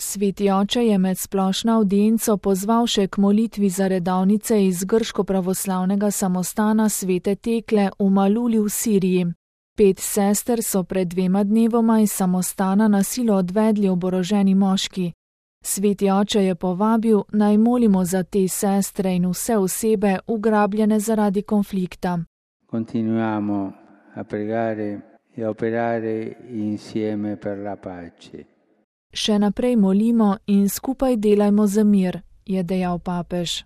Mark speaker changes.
Speaker 1: Sveti oče je med splošno avdienco pozval še k molitvi za redovnice iz grško-pravoslavnega samostana Svete Tekle v Maluli v Siriji. 5 sester so pred 2 dnevoma iz samostana na silo odvedli oboroženi moški. Sveti oče je povabil, naj molimo za te sestre in vse osebe ugrabljene zaradi konflikta.
Speaker 2: Continuiamo a pregare e a operare insieme per la pace.
Speaker 1: Še naprej molimo in skupaj delajmo za mir, je dejal papež.